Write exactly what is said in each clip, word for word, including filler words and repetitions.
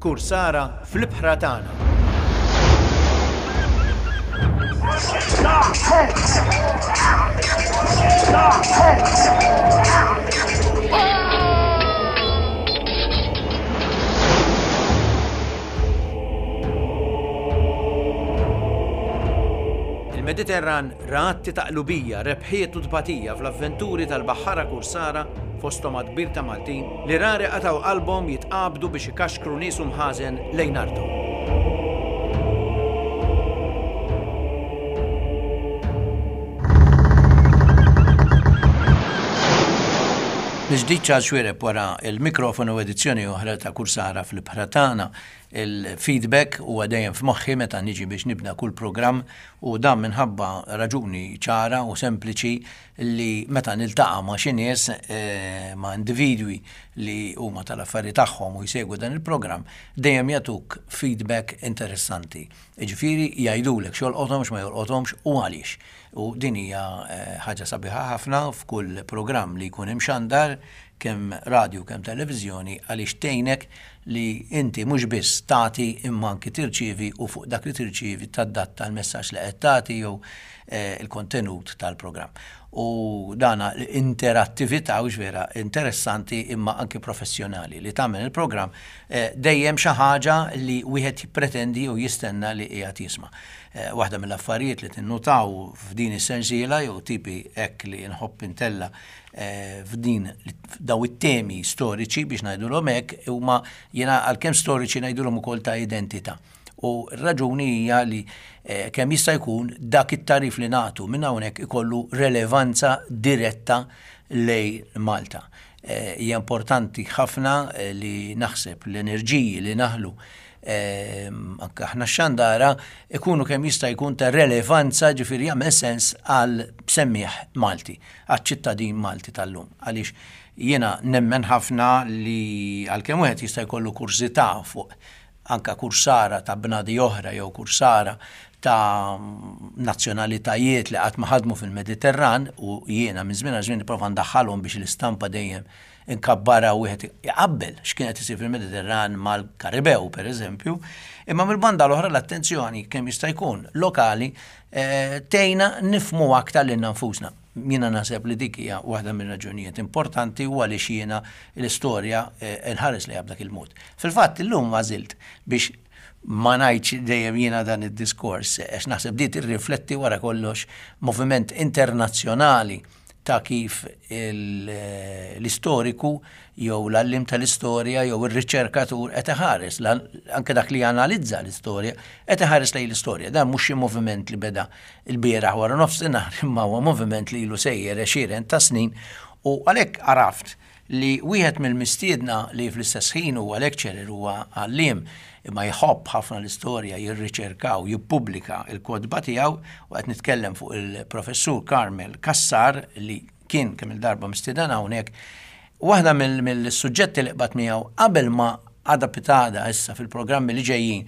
Kursara fl-ibħra tagħna. Il-Mediterran ra atti ta' qlubija, rebħiet u tbatija fl-avventuri tal-baħħara kursara, fosthom għadd kbir ta' Maltin, li rari qatgħu qalbhom jitqabdu biex ikaxkru nies u mħażen lejn arthom. Mill-ġdid Charles Xuereb wara l-mikrofonu edizzjoni oħra ta' Kursara fl-Ibħra Tagħna. Il-feedback huwa dejjem f'moħħi meta niġi biex nibda kull programm u dan minħabba raġuni ċara u sempliċi li meta niltaqa' ma' xi nies, ma' individwi li huma tal-affari tagħhom u jsegwu dan il-programm, dejjem jagħtuk feedback interessanti. Jiġifieri jgħidulek x'jolqothom, x'ma jolqothomx u għaliex. U din hija ħaġa sabiħa ħafna f'kull programm li jkun imxandar, kemm radju kemm televiżjoni, għaliex tgħinek li inti mhux biss tagħti imma anki tirċievi u fuq dak li tirċievi tadatta l-messaġġ li qed tagħti jew il-kontenut tal-programm. U dana l-interattività hux vera interessanti imma anki professjonali li tagħmel il-programm dejjem xi ħaġa li wieħed jippretendi u jistenna li qiegħed jisma'. Waħda mill-affarijiet li tinnutaw f'din is-sensiela jew tipi hekk li nħobb intella f'din daw it-temi storiċi biex ngħidulhom hekk huma jiena għalkemm storiċi ngħidulhom ukoll ta' identità. U r-raġuni hija li kemm jista' jkun dak it-tarif li nagħtu minn hawnhekk ikollu relevanza diretta lej Malta. Hija importanti ħafna li naħseb l-enerġiji li naħlu anke aħna x-xandara ikunu kemm jista' jkun ta' relevanza, ġifieri jagħmel sens għal semmieħ Malti, għaċ-ċittadin Malti tal-lum. Għaliex jiena nemmen ħafna li għalkemm wieħed jista' jkollu kurżità fuq anka kursara ta' bnadi oħra jew kursara ta' nazzjonalitajiet li qatt ma ħadmu fil-Mediterran, u jiena minn żmien għal żmien nipprova ndaħħalhom biex l-istampa dejjem inkabbarha u wieħed iqabbel x'kien qed isir fil-Mediterran mal-Karibew pereżempju, imma mill-banda l-oħra l-attenzjoni kemm jista' jkun lokali tgħinna nifhmu aktar lilna nfusna. Jiena naħseb li dik hija waħda mir-raġunijiet importanti u għaliex jiena l-istorja nħares lejha b'dak il-mod. Fil-fatt illum għażilt biex ma ngħidx dejjem jiena dan id-diskors, għax naħseb di tirrifletti wara kollox moviment internazzjonali ta' kif l-istoriku jew l-għallim tal-istorja jew ir-riċerkatur qed iħares, anke dak li janalizza l-istorja, qed iħares lejn l-istorja. Dan mhux xi moviment li beda l-bieraħ wara nofsinhar, imma huwa moviment li ilu sejjer għexieren ta' snin, u għalhekk għaraft li wieħed mill-mistiedna li fl-istess ħin huwa lecturer, huwa għalliem, imma jħobb ħafna l-istorja, jirriċerka u jippubblika l-kotba tiegħu, u qed nitkellem fuq il-professur Carmel Cassar li kien kemm il-darba mistieden hawnhekk. Waħda mill-suġġetti li qbad miegħu qabel ma għada pitada issa fil-programmi li ġejjin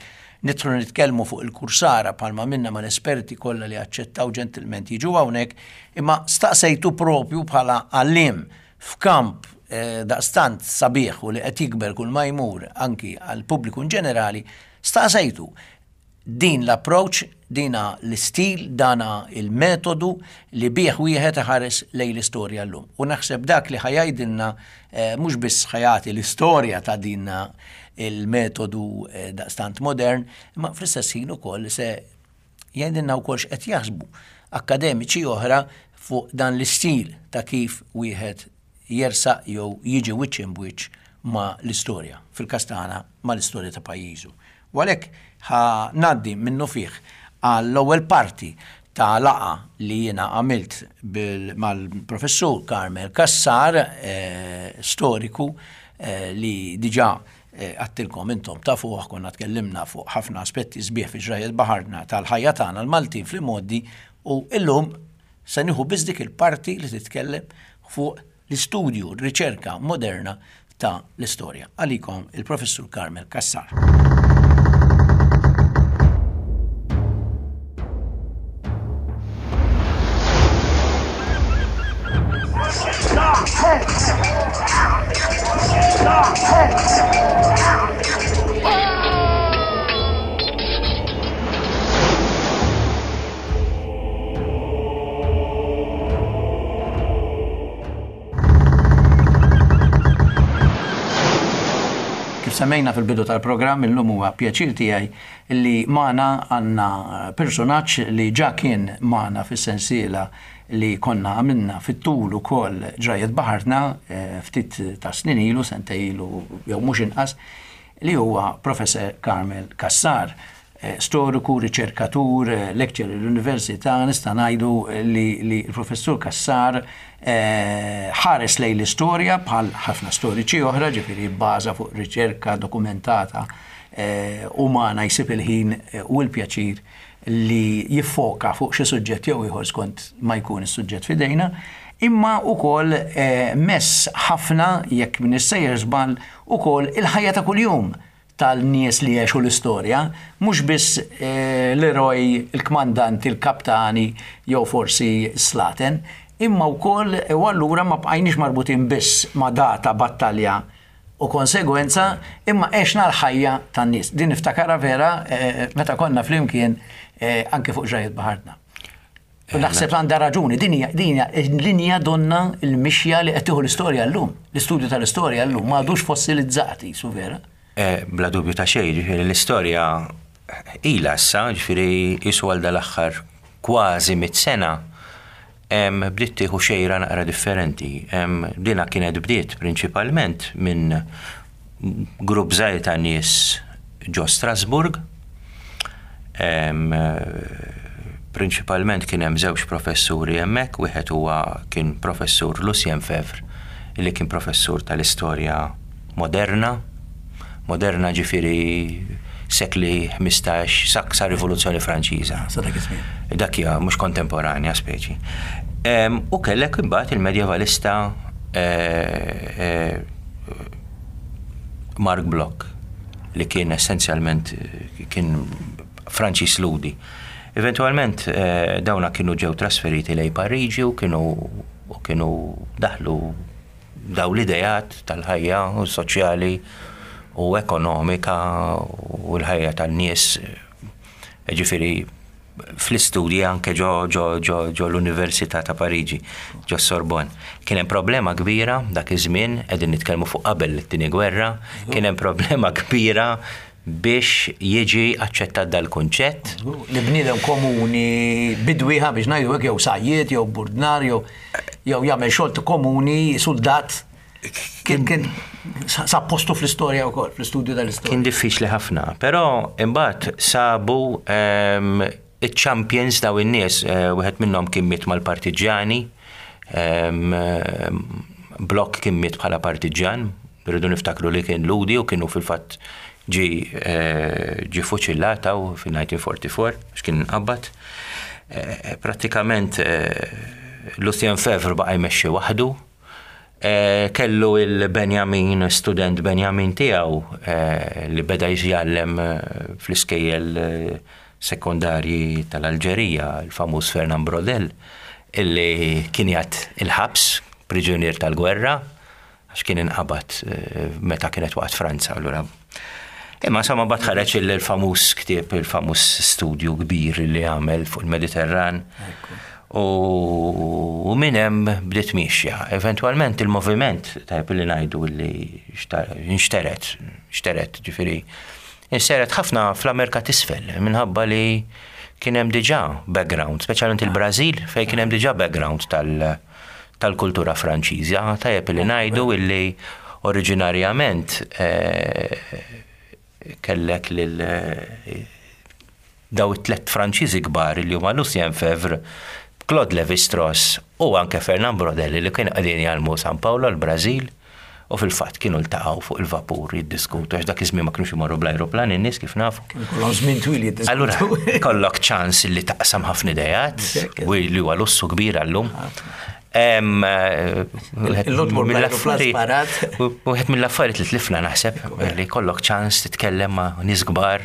nidħlu nitkellmu fuq il-kursara bħalma minna mal-esperti kollha li aċċettaw ġentilment jiġu hawnhekk, imma staqsejtu propju bħala għalliem f'kamp daqstant sabiħ u li qed jikber kull ma jmur anki għal pubbliku in ġenerali, staqsejtu din l-approach, dina l-istil, dana il-metodu li bih wieħed iħares lejn l-istorja llum. U naħseb dak li ħajajdilna mhux biss ħajati l-istorja ta' din il-metodu daqstant modern, imma fl-istess ħin ukoll se jgħidilna wkoll x'qed jaħsbu akademiċi oħra fuq dan l-istil ta' kif wieħed jersaq jew jiġi wiċċ imbwiċċ ma' l-istorja, fil-każ tagħna ma' l-istorja ta' pajjiżu. U għalhekk ħa ngħaddi minnu fih għall-ewwel parti ta' laqa li jiena għamilt mal-professur Carmel Cassar, storiku li diġà għattilkom intom tafuh, konna tkellimna fuq ħafna aspetti sbieħ fi ġrajjet baħarna tal-ħajja tagħna l-Maltin fl-imgħoddi, u illum se nieħu biss dik il-parti li titkellem fuq l-istudju, r-riċerka moderna ta' l-istorja. Għalikom il-professur Carmel Cassar. Semmejna fil-bidu tal-programm, illum huwa pjaċir tiegħi li magħna għandna personaġġ li ġa kien magħna fis-sensiela li konna għamilna fit-tul ukoll Ġrajiet Baħarna ftit ta' snin ilu, sentejn ilu jew mhux inqas, li huwa Professor Carmel Cassar, storiku, riċerkatur, lecturer l-università. Nista' ngħidu li l-Professur Cassar ħares lejn l-istorja bħal ħafna storiċi oħra, ġifieri bbaża fuq riċerka dokumentata umana, jsib il-ħin u l-pjaċir li jiffoka fuq xi suġġett jew ieħor skont ma jkun is-suġġett f'idejna, imma wkoll mess ħafna, jekk m'iniex sejjer żball, ukoll il-ħajja ta' kuljum tal-nies li għexu l-istorja, mhux biss l-eroj, il-kmandanti, il-kaptani jew forsi slaten, imma wkoll u allura ma bqajniex marbutin biss ma' data, battalja u konsegwenza, imma għexna l-ħajja tan-nies. Din niftakarha vera meta konna flimkien anke fuq Ġrajiet Baħarna. U naħseb għandha raġuni, din hija linja donna l-mixja li qed tieħu l-istorja llum, l-istudju tal-istorja llum m'għadux fossilizzati, su vera? Bla dubju ta' xejn, ġifieri l-istorja ilha issa, ġifieri qisu għal dal-aħħar kważi mitt sena bdiet tieħu xejra naqra differenti. Dina kienet bdiet prinċipalment minn grupp żgħir ta' nies ġo Strasburg. Prinċipalment kien hemm żewġ professuri hemmhekk, wieħed huwa kien professur Lucien Febvre, li kien professur tal-istorja moderna. Moderna ġifieri sekli ħmistax sa Rivoluzzjoni Franċiża. Sa dak iż-żmien. Dak hija mhux kontemporanja speċi. U kellek imbagħad il-medjevalista Marc Bloch, li kien essenzjalment kien Franċiż Ludi. Eventualment dawna kienu ġew trasferiti lejn Pariġi u kienu u kienu daħlu daw l-idejat tal-ħajja u soċjali u ekonomika u l-ħajja tan-nies, ġifieri fl-istudji anke ġo ġo ġo ġo l-Università ta' Pariġi, ġo Sorbonne. Kien hemm problema kbira dak iż-żmien, qegħdin nitkellmu fuq qabel it-tieni gwerra, kien hemm problema kbira biex jiġi aċċettat dal-kunċett. Li bniedem komuni bidwiħa biex ngħidu hekk, jew sajjied, jew burdnar, jew jew jagħmel xogħol komuni, soldat. Kien kien sa postu fl-istorja wkoll, fl-istudju tal-istorja. Kien diffiċli ħafna, però imbagħad sabu iċ-champions daw in-nies, wieħed minnhom kien miet mal-partiġjani, Bloch kien miet bħala partiġjan, rridu niftakru li kien Ludi u kienu fil-fatt ġi ġi fuċillat fil-nineteen forty-four għax kien inqabad. Prattikament Lucien Febvre baqa' jmexxi waħdu. Kellu il-Benjamin, student Benjamin tiegħu li beda jgħallem fl-iskejjel sekondarji tal-Alġerija, il-famuż Fernand Braudel, illi kien jgħat il-ħabs, priġunier tal-gwerra, għax kien inqabad meta kienet waqt Franza. Allura. Imma insomma mbagħad ħareġ il-famuż ktieb, il-famuż studju kbir li għamel fuq il-Mediterran. U minn hemm bdiet mixja. Eventwalment il-moviment, tajb li ngħidu li nxteret, nxteret, ġifieri, nxteret ħafna fl-Amerika t'isfel, minħabba li kien hemm diġà background, speċjalment il-Brażil, fejn kien hemm diġà background tal-kultura Franċiża. Tajjeb li ngħidu illi oriġinarjament kellek lil daw it-tlet Franċiżi kbar li huma Lucien Febvre, Claude Lévi-Strauss u anke Fernand Braudel li kienu qegħdin jgħallmu San Paolo l-Brażil, u fil-fatt kienu ltaqgħu fuq il-vapur jiddiskutu, għax dak iż-żmien ma kinux imorru bl-ajruplan in-nies kif nafu. Kienu kollhom żmien twil jiddiskutu. Allura kollok ċans li taqsam ħafna idejat, u li huwa lussu kbir għallum. Wieħed mill-affarijiet li tlifna naħseb li kollok ċans titkellem ma' nies kbar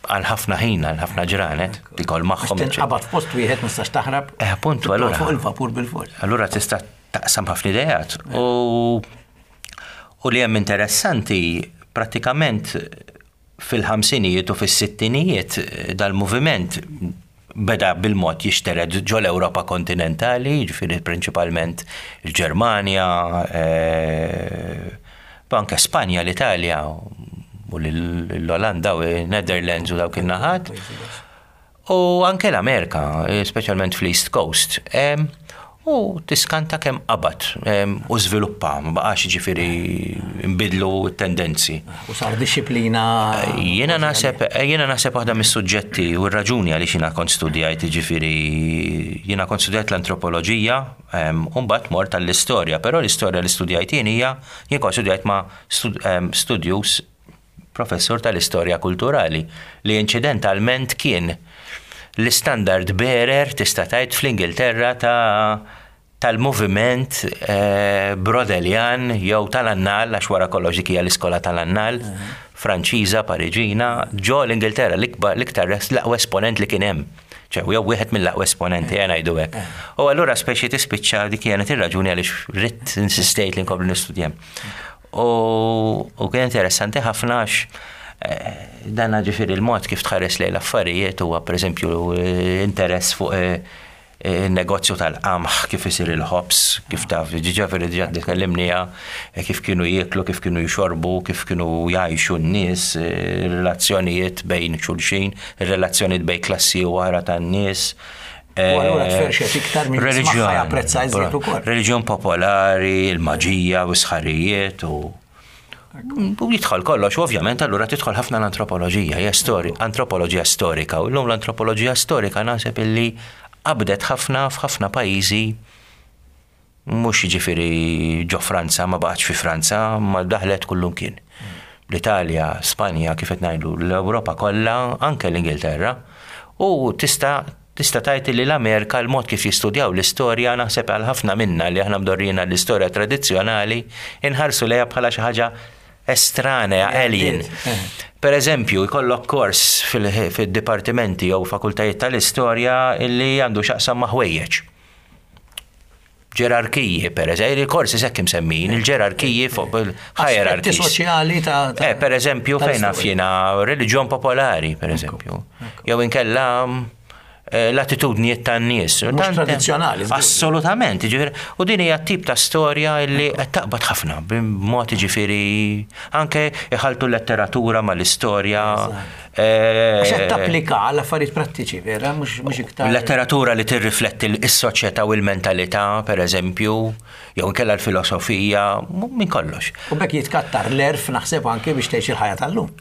għal ħafna ħin, għal ħafna ġranet, tikol magħhom. Tinqabad f'post wieħed ma tistax taħrab. Eh, appuntu, allura. Fuq il-vapur bil-fors. Allura tista' taqsam ħafna idejat. U li hemm interessanti, prattikament fil-ħamsinijiet u fis-sittinijiet dal-moviment beda bil-mod jixtered ġo l-Ewropa kontinentali, ġifieri prinċipalment il-Ġermanja, Anke Spanja, l-Italja u l-Olanda u Netherlands u dawk in-naħat. U anke l-Amerika, speċjalment fl-East Coast. U tiskanta kemm qabad u żviluppa, ma baqax ġifieri nbidlu t-tendenzi. U sar disciplina. Jiena naħseb jiena naħseb waħda mis-suġġetti u r-raġuni għaliex jiena kont studjajt ġifieri jiena kont studjajt l-antropoloġija u mbagħad mort għall-istorja, però l-istorja li studjajt jien hija jien kont studjajt ma' studjus professur tal-istorja kulturali li incidentalment kien l-standard bearer tista' tgħid fl-Ingilterra ta' tal-moviment eh, Brodelian jew tal-Annal, għax wara kollox dik hija l-iskola tal-Annal, Franċiża, Pariġina, ġo l-Ingilterra l-iktar l-aqwa esponent li kien hemm. ċe, jew wieħed mill-aqwa esponenti jena ngħidu hekk. U allura speċi tispiċċa dik kienet ir-raġuni għaliex ridt insistejt li nkompli nistudja. U kien interessanti ħafna għax eh, dan ġifieri il-mod kif tħares lejn l-affarijiet huwa pereżempju interess fuq eh, il-negozju tal-qamħ, kif isir il-ħobż, kif taf, ġifieri diġà tkellimniha, kif kienu jieklu, kif kienu jxorbu, kif kienu jgħixu n-nies, relazzjonijiet bejn xulxin, relazzjonijiet bejn klassi u oħra tan-nies. U allura tferxet iktar minn Reliġjon, japprezza iżjed ukoll. Reliġjon popolari, il-maġija u sħarijiet u U jidħol kollox, u ovvjament allura tidħol ħafna l-antropoloġija, hija stori, antropoloġija storika, u llum l-antropoloġija storika naħseb illi qabdet ħafna f'ħafna pajjiżi mhux jiġifieri ġo Franza, ma baqgħetx fi Franza, ma daħlet kullum kien. L-Italja, Spanja, kif qed ngħidu, l-Ewropa kollha, anke l-Ingilterra, u tista' tista' tgħid li l-Amerika l-mod kif jistudjaw l-istorja naħseb għal ħafna minna li aħna mdorrina l-istorja tradizzjonali inħarsu lejha bħala xi ħaġa estranea, alien. Per eżempju, jkollok kors fil-dipartimenti jew fakultajiet tal-istorja illi għandu x'jaqsam ma' ħwejjeġ. Ġerarkiji, per eżempju, il-korsi hekk imsemmin, il-ġerarkiji fuq il-hierarchies. soċjali ta' Eh, per eżempju, fejn naf jiena reliġjon popolari, per eżempju. Jew inkella eh, l-attitudnijiet tan-nies. Mhux tradizzjonali. Assolutament, ġifieri, u din hija tip ta' storja illi qed taqbad ħafna b'mod ġifieri anke iħaltu l-letteratura mal-istorja. Eh, Għax qed tapplika għal affarijiet prattiċi, vera, mhux iktar. Letteratura li tirrifletti s-soċjetà u l-mentalità, per eżempju, jew inkella l-filosofija, minn kollox. U b'hekk jitkattar l-għerf naħseb anke biex tgħix il-ħajja tal-lum.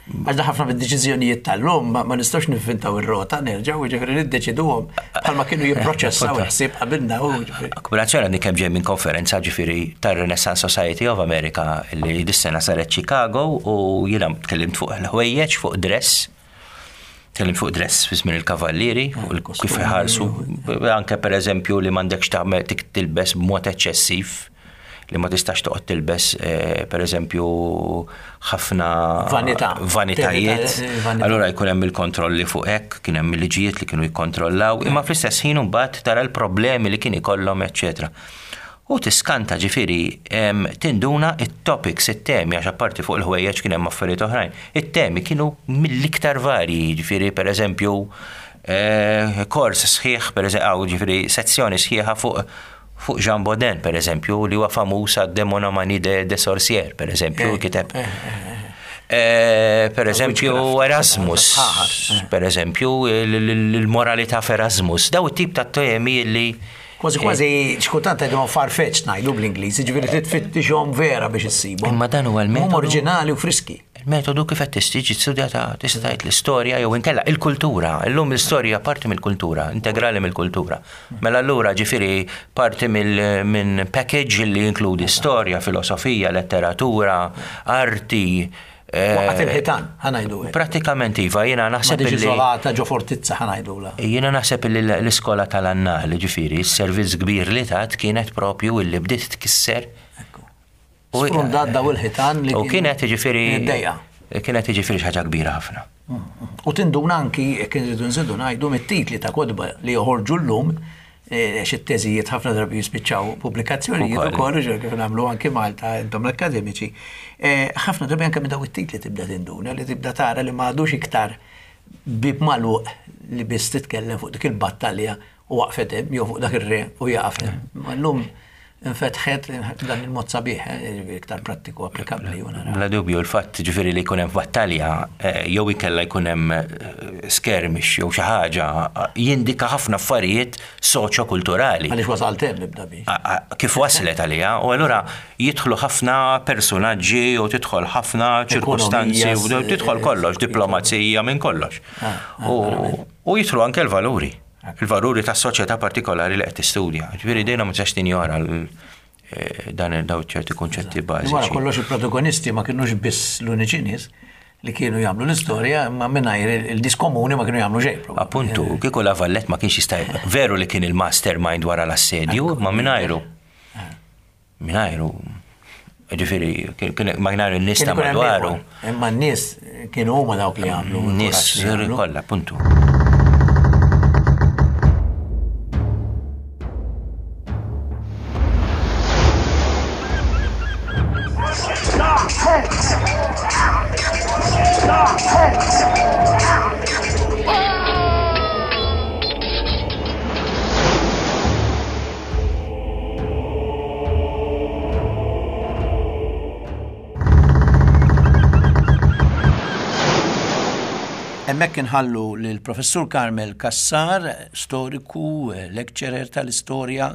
Għax da ħafna mid-deċiżjonijiet tal-lum ma nistgħux nivvintaw ir-rota nerġgħu jiġifieri niddeċiduhom bħalma kienu jipproċessaw il-ħsieb qabilna u ġifieri. Akkumulazzjoni għandi kemm ġej minn konferenza ġifieri tar-Renaissance Society of America li dis-sena saret Chicago u jiena tkellimt fuq il-ħwejjeġ, fuq dress. Tkellimt fuq dress fi żmien il-kavallieri, kif iħarsu, anke per eżempju li m'għandekx tagħmel tilbes b'mod eċċessiv li ma tistax toqgħod tilbes eh, per eżempju ħafna Vanità. vanitajiet. Vanità. Allura jkun hemm il-kontrolli fuq hekk, kien hemm il-liġijiet li kienu jikkontrollaw, imma fl-istess ħin imbagħad tara l-problemi li kien ikollhom, eċċetera. U tiskanta ġifieri tinduna it-topics, it-temi, għax apparti fuq il-ħwejjeġ kien hemm affarijiet oħrajn. It-temi kienu mill-iktar varji, ġifieri per eżempju eh, kors sħiħ, per eżempju, ġifieri sezzjoni sħiħa fuq fuq Jean Bodin, per eżempju, li huwa famuż għad Démonomanie de, de Sorcier, per eżempju, Eh, kiteb. eh, eh, Eh, per eżempju, Erasmus, Sħaħar, per eżempju, il-moralità f'Erasmus, daw it-tip ta' temi li Kważi kważi xkultant għedhom far-fetched ngħidu bl-Ingliż, ġifieri titfittixhom vera biex issibhom. Imma dan huwa l-metodu. Huma oriġinali u friski. Il-metodu kif qed tistiġi studjata tista' tgħid l-istorja jew inkella il-kultura. Illum l-istorja parti mill-kultura, integrali mill-kultura. Mela allura ġifieri parti minn package li jinkludi storja, filosofija, letteratura, arti. eh, Waqgħet il-ħitan, ħa ngħidu. hekk. Pratikament iva, jiena Ma naħseb diġ illi iżolata ġo fortizza ħa ngħidula. Jiena naħseb li l-iskola tal-annali ġifieri, s-servizz kbir li tat kienet propju illi bdiet tkisser Ekku. U- Sfrundat daw il-ħitan li U kienet ġifieri Id-dejqa. Kienet ġifieri xi ħaġa kbira ħafna. U tinduna anki, jekk nridu nżidu ngħidu mit-titli ta' kotba li joħorġu llum, eh, xi teżijiet ħafna drabi jispiċċaw pubblikazzjonijiet Ukoll. ukoll, ġer kif nagħmlu anki Malta intom l-akademiċi. Eh, Ħafna drabi anke minn daw it-titli tibda tinduna li tibda tara li m'għadux iktar bib magħluq li biss titkellem fuq dik il-battalja u waqfet hemm jew fuq dak ir-re u jaqaf hemm. Ma llum infetħet dan il-mod sabiħ, eh, iktar prattiku applikabbli. Bla dubju, il-fatt ġifieri li jkun hemm battalja eh, jew ikella jkun hemm eh, skirmish jew xi ħaġa jindika ħafna affarijiet soċjokulturali. Għaliex wasalt hemm nibda biex. Kif waslet għaliha, u allura jidħlu ħafna personaġġi u tidħol ħafna ċirkustanzi u tidħol kollox, diplomazija minn kollox. Ah, ah, U jidħlu anke l-valuri. Il-valuri ta' soċjetà partikolari li qed tistudja. Ġifieri dejna ma tistax tinjora eh, dan daw ċerti kunċetti bażiċi. Wara kollox il-protagonisti ma kienux biss l-uniċi nies li kienu jagħmlu l-istorja, imma mingħajr il-nies komuni ma kienu jagħmlu xejn. Appuntu, kieku La Vallette ma kienx jista' veru li kien il-mastermind wara l-assedju, ma mingħajru. Mingħajru. Ġifieri, ma mingħajru n-nies ta' madwaru. Imma n-nies kienu huma dawk li jagħmlu. Nies kollha, appuntu. Hemmhekk inħallu lill-Professur Carmel Cassar, storiku, lecturer tal-istorja,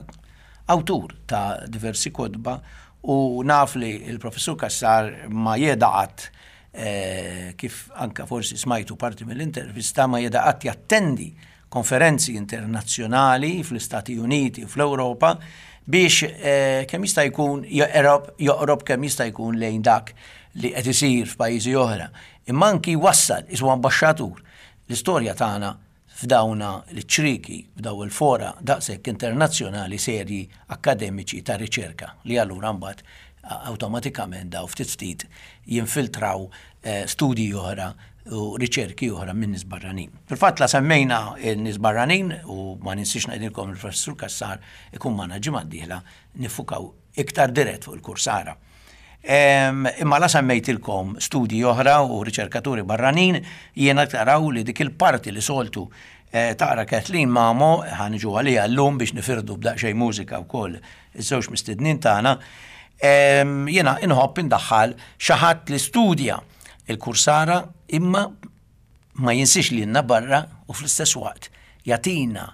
awtur ta' diversi kotba, u naf li il-Professur Cassar ma jeda qatt, eh, kif anka forsi smajtu parti mill-intervista, ma jeda qatt jattendi konferenzi internazzjonali fl-Istati Uniti u fl-Ewropa biex eh, kemm jista' jkun joqrob joqrob kemm jista' jkun lejn dak li qed isir f'pajjiżi oħra. Imma anki wassal isu ambaxxatur l-istorja tagħna f'dawna l-ċriki, f'daw il-fora daqshekk internazzjonali serji akademiċi ta' riċerka li allura mbagħad awtomatikament daw ftit ftit jinfiltraw, eh, studji oħra u riċerki oħra minn nies barranin. Fil-fatt la semmejna n-nies barranin u ma ninsiex ngħidilkom il-Professur Cassar ikun magħna ġimgħa d-dieħla nifukaw iktar dirett fuq il-Kursara. Em, imma la semmejtilkom studji oħra u riċerkaturi barranin, jiena taraw li dik il-parti li soltu, eh, taqra Kathleen Mamo, ħanġu għalija llum biex nifirdu b'daqsxejn mużika wkoll iż-żewġ mistednin tagħna. Em, jiena inħobb indaħħal xi ħadd li studja il-Kursara imma ma jinsiex li jenna barra u fl-istess waqt jagħtina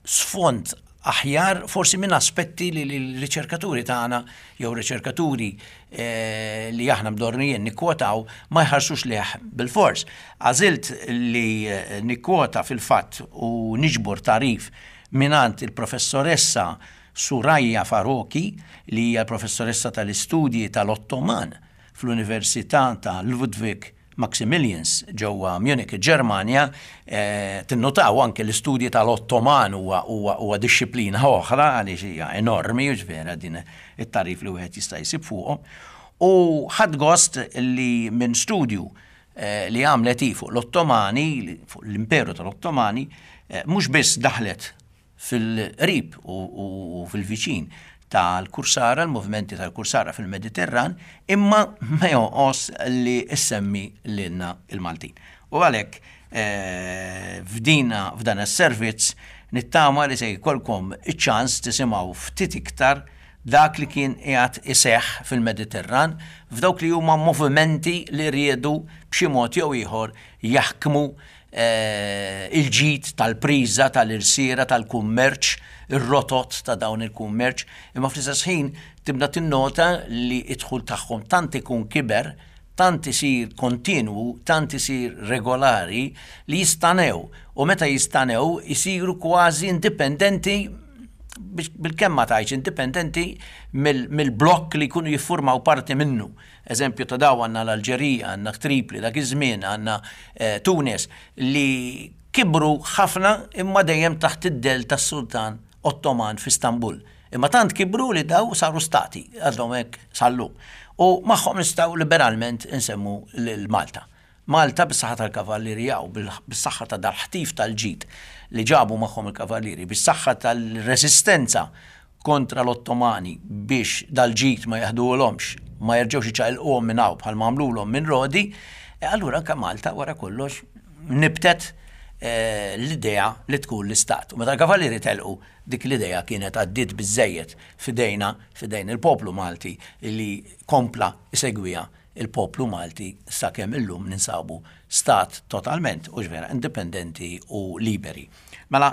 sfond aħjar forsi minn aspetti li l-riċerkaturi tagħna jew riċerkaturi, eh, li aħna mdornijin nikkwotaw ma jħarsux leħ bil-fors. Għażilt li, eh, nikkwota fil-fatt u niġbor tarif mingħand il-professoressa Suraya Farouky, li hija l-professoressa tal-istudji tal-Ottoman fl-Università ta' Ludwig Maximilians ġewwa Munich, Ġermanja. Eh, tinnotaw anke l-istudji tal-Ottoman huwa, huwa, huwa dixxiplina oħra għaliex hija enormi, u ġvera din it-tarif li wieħed jista' jsib fuqhom. U ħadd gost li minn studju, eh, li għamlet hi fuq l-Ottomani, fuq l-Imperu tal-Ottomani, eh, mhux biss daħlet fil-qrib u, u, u fil-viċin tal-Kursara, l-movimenti tal-Kursara fil-Mediterran, imma ma jonqos li issemmi lilna il-Maltin. U għalhekk, eh, f'dina, f'dan is-servizz nittama li se jkollkom iċ-ċans tisimgħu ftit iktar dak li kien qiegħed iseħħ fil-Mediterran f'dawk li huma movimenti li riedu b'xi mod jew ieħor jaħkmu, eh, il-ġid tal-priża, tal-irsiera, tal-kummerċ, ir-rotot ta' dawn il-kummerċ, imma fl-istess ħin tibda tinnota li d-dħul tagħhom tant ikun kiber, tant isir kontinwu, tant isir regolari li jistanew, u meta jistanew isiru kważi indipendenti, biex bil-kemm ma tgħidx indipendenti mill-, mill-blokk li jkunu jiffurmaw parti minnu. Eżempju ta' daw għandna l-Alġerija, għandna Tripli, dak iż-żmien għandna, eh, Tunis, li kibru ħafna imma dejjem taħt id-del tas-Sultan Ottoman f'Istanbul. Imma tant kibru li daw saru stati, għadhom hekk sal-lum. U magħhom nistgħu liberalment insemmu lil Malta. Malta bis-saħħa tal-kavallieri jew bis-saħħa ta' dal-ħtif tal-ġid li ġabu magħhom il-kavallieri, bis-saħħa tal-resistenza kontra l-Ottomani biex dal-ġid ma jaħduhomx, ma jerġgħux iċaqilquhom minn hawn bħal ma għamlulhom minn Rodi, e allura anke Malta wara kollox nibtet, eh, l-idea li tkun l-istat. U meta l-kavallieri telqu, dik l-idea kienet għaddiet biżejjed f'idejna, f'idejn il-poplu Malti li kompla isegwiha il-poplu Malti sakemm illum ninsabu stat totalment u vera indipendenti u liberi. Mela,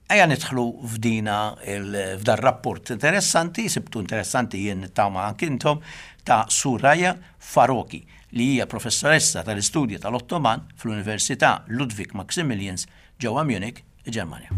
ejja nidħlu f'dina f'dar rapport interessanti, sibtu interessanti jien nittama anki intom, ta' Suraya Faroqhi, li hija professoressa tal-istudji tal-Ottoman fl-Università Ludwig Maximilians ġewwa Munich, il-Ġermanja.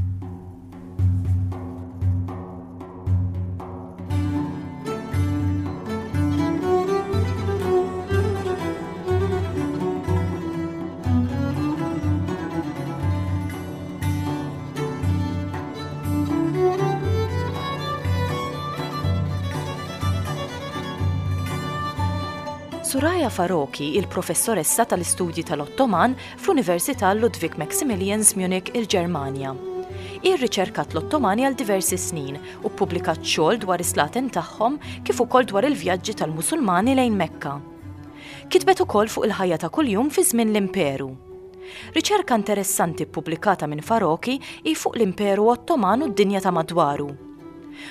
Suraya Faroqhi, il-professoressa tal-istudji tal-Ottoman fl-Università Ludwig Maximilians Munich, il-Ġermanja. Hi rriċerkat l-Ottomani għal diversi snin u ppubblikat xogħol dwar is-slaten tagħhom kif ukoll dwar il-vjaġġi tal-Musulmani lejn Mekka. Kitbet ukoll fuq il-ħajja ta' kuljum fi żmien l-Imperu. Riċerka interessanti ppubblikata minn Faroqhi hi fuq l-Imperu Ottoman u d-dinja ta' madwaru.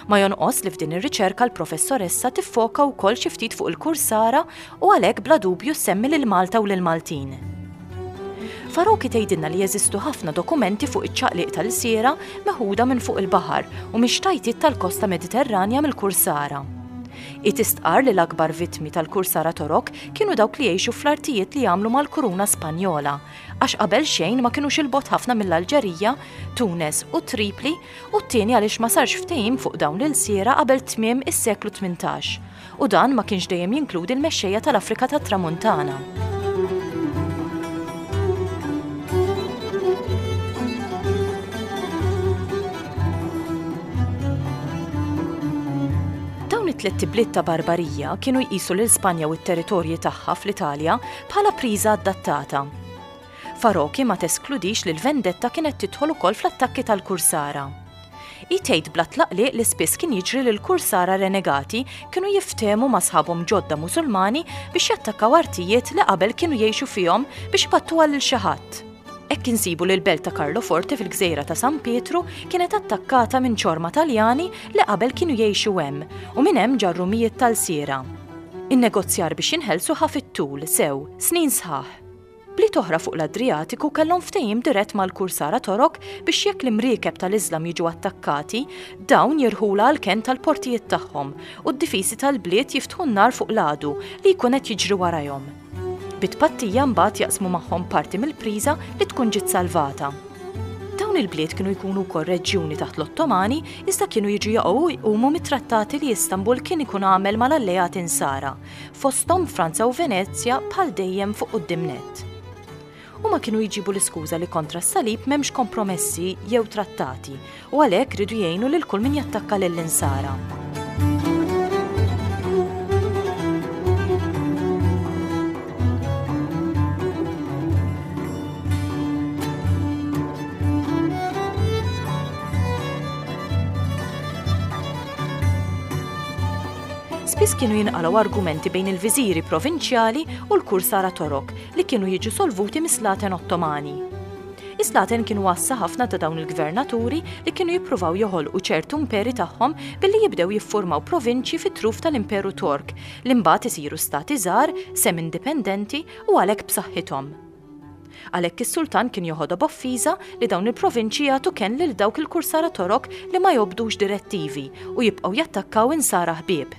Ma jonqos li f'din ir-riċerka l-professoressa tiffoka wkoll xi ftit fuq il-kursara u għalhekk bla dubju semmi lil Malta u lil Maltin. Faroqhi tgħidilna li jeżistu ħafna dokumenti fuq iċ-ċaqliq tal-siera meħuda minn fuq il-baħar u mix-xtajtiet tal-kosta Mediterranja mill-kursara. Hi tistqar li l-akbar vittmi tal-kursara Torok kienu dawk li jgħixu fl-artijiet li jagħmlu mal-Kuruna Spanjola, għax qabel xejn ma kinux il-bogħod ħafna mill-Alġerija, Tunes u Tripli, u t-tieni għaliex ma sarx ftehim fuq dawn l-ilsiera qabel tmiem is-seklu tmintax, u dan ma kienx dejjem jinkludi l-mexxejja tal-Afrika tat-Tramuntana. Dawn it-tliet ibliet ta' Barbarija kienu jqisu lil Spanja u t-territorji tagħha fl-Italja bħala priża adattata. Faroqhi ma teskludix li l-vendetta kienet tidħol ukoll fl-attakki tal-kursara. Hi tgħid bla tlaqliq li spiss kien jiġri li l-kursara renegati kienu jiftehmu ma' sħabhom ġodda Musulmani biex jattakkaw artijiet li qabel kienu jgħixu fihom biex ipattuha lil xi ħadd. Hekk insibu li l-belt ta' Carloforte fil-gżejra ta' San Pietru kienet attakkata minn ċorma Taljani li qabel kienu jgħixu hemm u minn hemm ġarru mijiet tal-siera. In-negozjar biex jinħelsu ħa fit-tul sew, snin sħaħ. Bliet oħra fuq l-Adriatiku kellhom ftehim dirett mal-kursara Torok biex jekk l-imriekeb tal-Iżlam jiġu attakkati, dawn jirħula għal kenn tal-portijiet tagħhom u d-difisi tal-bliet jiftħu n-nar fuq l-għadu li jkun qed jiġri warajhom. Bit-pattija mbagħad jaqsmu magħhom parti mill-priża li tkun ġiet salvata. Dawn il-bliet kienu jkunu wkoll reġjuni taħt l-Ottomani iżda kienu jiġu jaqgħu u jqumu mit-trattati li Istanbul kien ikun għamel mal-alleati Insara, fosthom Franza u Venezja bħal dejjem fuq quddiem nett. Huma kienu jġibu l-iskuża li kontra s-salib m'hemmx kompromessi jew trattati u għalhekk ridu jgħinu lil kull min jattakka lill-Insara. Spiss kienu jinqalgħu argumenti bejn il-viżiri provinċjali u l-kursara Torok li kienu jiġu solvuti mis-slaten Ottomani. Is-slaten kienu għassa ħafna ta' dawn il-gvernaturi li kienu jippruvaw joħolqu ċertu imperi tagħhom billi jibdew jiffurmaw provinċji fit-truf tal-Imperu Tork li mbagħad isiru stati żgħar, sem-indipendenti u għalhekk b'saħħithom. Għalhekk is-sultan kien joħodha b'offiża li dawn il-provinċji jagħtu kenn lil dawk il-kursara Torok li ma jobdux direttivi u jibqgħu jattakkaw insara ħbieb.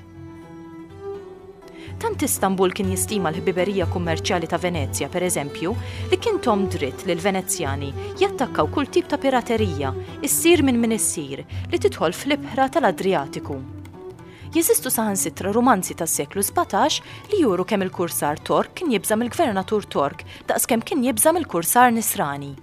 Tant Istanbul kien jistima l-ħbiberija kummerċjali ta' Venezja, per eżempju, li kien tom dritt li l-Venezjani jattakkaw kull tip ta' piraterija, issir minn min issir, li tidħol fl-ibħra tal-Adriatiku. Jeżistu saħansitra romanzi tas-seklu sbatax li juru kemm il-kursar Tork kien jibża' mill-gvernatur Tork daqskemm kien jibża' mill-kursar Nisrani.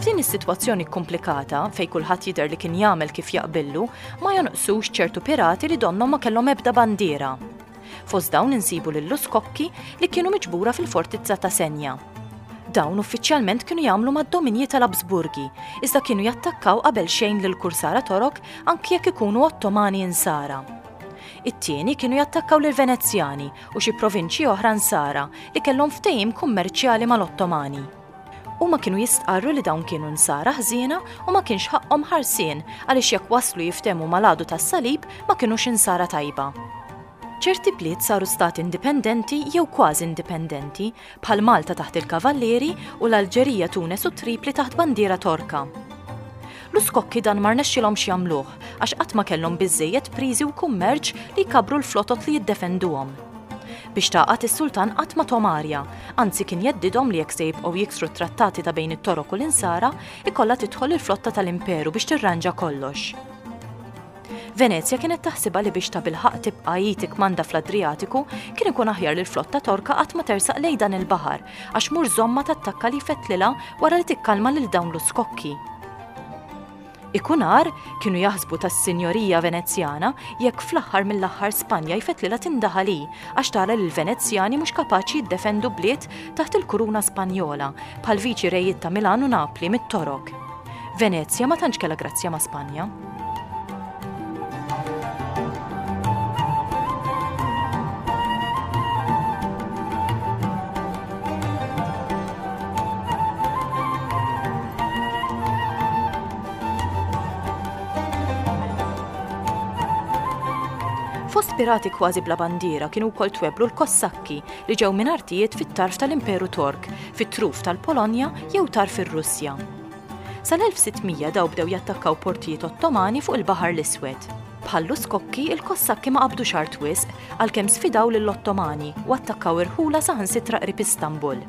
F'din is-sitwazzjoni komplikata fejn kulħadd jidher li kien jagħmel kif jaqbillu, ma jonqsux ċertu pirati li donnhom ma kellhom ebda bandiera. Fost dawn insibu lill-Uskokki li kienu miġbura fil-fortizza ta' Senja. Dawn uffiċjalment kienu jagħmlu mad-dominji tal-Absburgi, iżda kienu jattakkaw qabel xejn lil kursara Torok anki jekk ikunu Ottomani Insara. It-tieni kienu jattakkaw lil Venezjani u xi provinċji oħra Nsara li kellhom ftehim kummerċjali mal-Ottomani. Huma kienu jistqarru li dawn kienu Nsara ħżiena u ma kienx ħaqqhom ħarsien għaliex jekk waslu jiftehmu mal-għadu tas-salib ma kinux Insara tajba. Ċerti bliet saru stati indipendenti jew kważi indipendenti, bħal Malta taħt il-Kavallieri u l-Alġerija, Tunes u Tripli taħt bandiera Torka. L-Uskokki dan ma rnexxilhomx jagħmluh għax qatt ma kellhom biżżejjed priżi u kummerċ li jkabbru l-flotot li jiddefenduhom. Biex tagħqad is-sultan qatt ma tahom arja, anzi kien jgħeddidhom li jekk se jibqgħu jiksru t-trattati ta' bejn it-Torok u l-Insara, ikollha tidħol il-flotta tal-Imperu biex tirranġa kollox. Venezja kienet taħsibha li biex tabilħaqq tibqa' hi tikkmanda fl-Adriatiku kien ikun aħjar li l-flotta Torka qatt ma tersaq lejn dan il-baħar għax mur żommha tattakka li jfettlilha wara li tikkalma lil dawn l-Uskokki. Ikun agħar, kienu jaħsbu tas-Sinjorija Venezjana, jekk fl-aħħar mill-aħħar Spanja jfettlilha tindaħal hi għax tara li l-Venezjani mhux kapaċi jiddefendu bliet taħt il-kuruna Spanjola bħal viċi rejiet ta' Milan u Napli mit-Torok. Venezja ma tantx kellha grazzja ma' Spanja. Fost pirati kważi bla bandiera kienu wkoll tweblu l-Kossakki li ġew minn artijiet fit-tarf tal-Imperu Tork, fit-truf tal-Polonja jew tarf ir-Russja. Sal-elf sitt mija daw bdew jattakkaw portijiet Ottomani fuq il-Baħar l-Iswed. Bħall-Uskokki, il-Kossakki ma qabdux art wisq għalkemm sfidaw lill-Ottomani u attakkaw irħula saħansitra qrib Istanbul.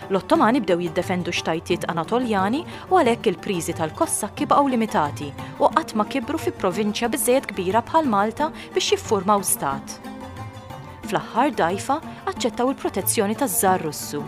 L-Ottomani bdew jiddefendu xtajtiet Anatoljani u għalhekk il-priżi tal-Kossakki baqgħu limitati u qatt ma kibru fi provinċja biżżejjed kbira bħal Malta biex jiffurmaw stat. Fl-aħħar dgħajfa aċċettaw il-protezzjoni taż-Żar Russu.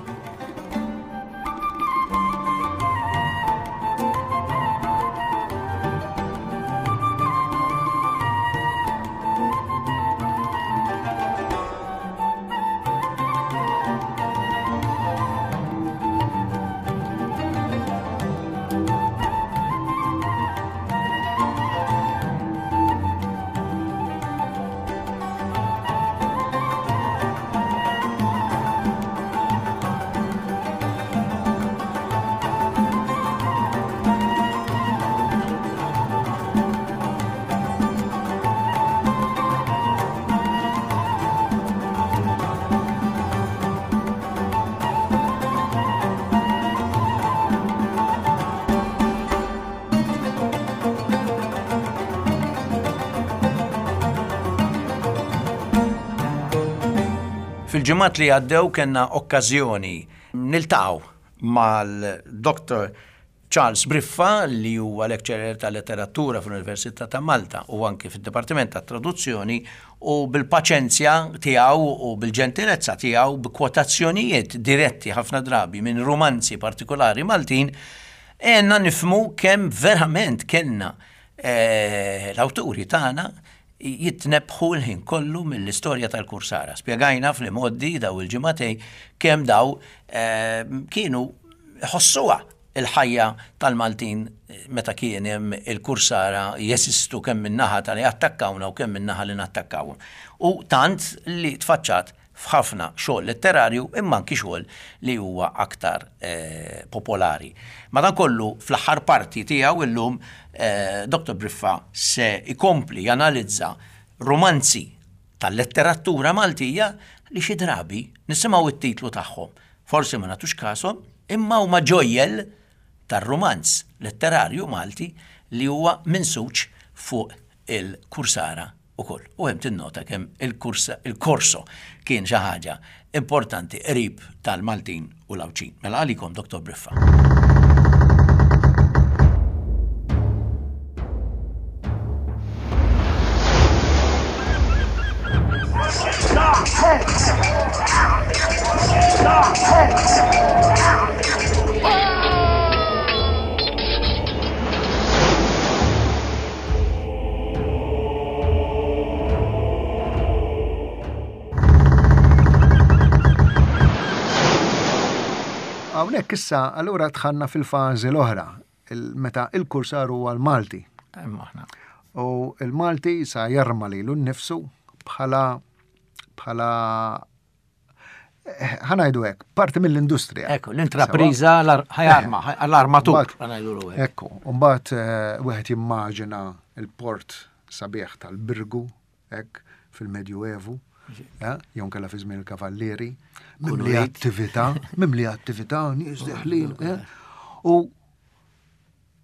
Fil-ġimgħat li għaddew kellna okkażjoni niltaqgħu mal-Doktor Charles Briffa, li huwa lecturer ta' letteratura fl-Università ta' Malta u anki fid-Dipartiment ta' Traduzzjoni, u bil-paċenzja tiegħu u bil-ġentilezza tiegħu, b'kwotazzjonijiet diretti ħafna drabi minn romanzi partikolari Maltin, għenna nifhmu kemm verament kellna, eh, l-awturi tagħna jitnebħu l-ħin kollu mill-istorja tal-Kursara. Spjegajna fl-imgħoddi daw il-ġimagħtejn kemm daw, eh, kienu ħossuha il-ħajja tal-Maltin meta kien hemm il-Kursara jesistu kemm min-naħa tal-li attakkawna u kemm min-naħa li nattakkawhom. U tant li tfaċċat f'ħafna xogħol letterarju imma anki xogħol li huwa aktar, eh, popolari. Madankollu fl-aħħar parti tiegħu illum, eh, Doktor Briffa se ikompli janalizza romanzi tal-letteratura Maltija li xi drabi nisimgħu it-titlu tagħhom. Forsi ma nagħtux kashom, imma huma ġojjel tar-romanz letterarju Malti li huwa minsuġ fuq il-Kursara ukoll. U hemm tinnota kemm il-kursa, il-korso kien xi ħaġa importanti qrib tal-Maltin u l-Għawdxin. Mela għalikom Doktor Briffa. Hawnhekk issa allura dħalna fil-fażi l-oħra, meta il-kursar huwa l-Malti. U il-Malti sa jarma lilu nnifsu bħala bħala ħa ngħidu hekk, parti mill-industrija. Ekku, l-intrapriża ħajarma, l-armatur. Ekku, mbagħad wieħed jimmaġina il-port sabiħ tal-Birgu, hekk, fil-Medjuevu, jew inkella fi żmien il-Kavallieri, mimli attività, mimli attività, nies deħlin, u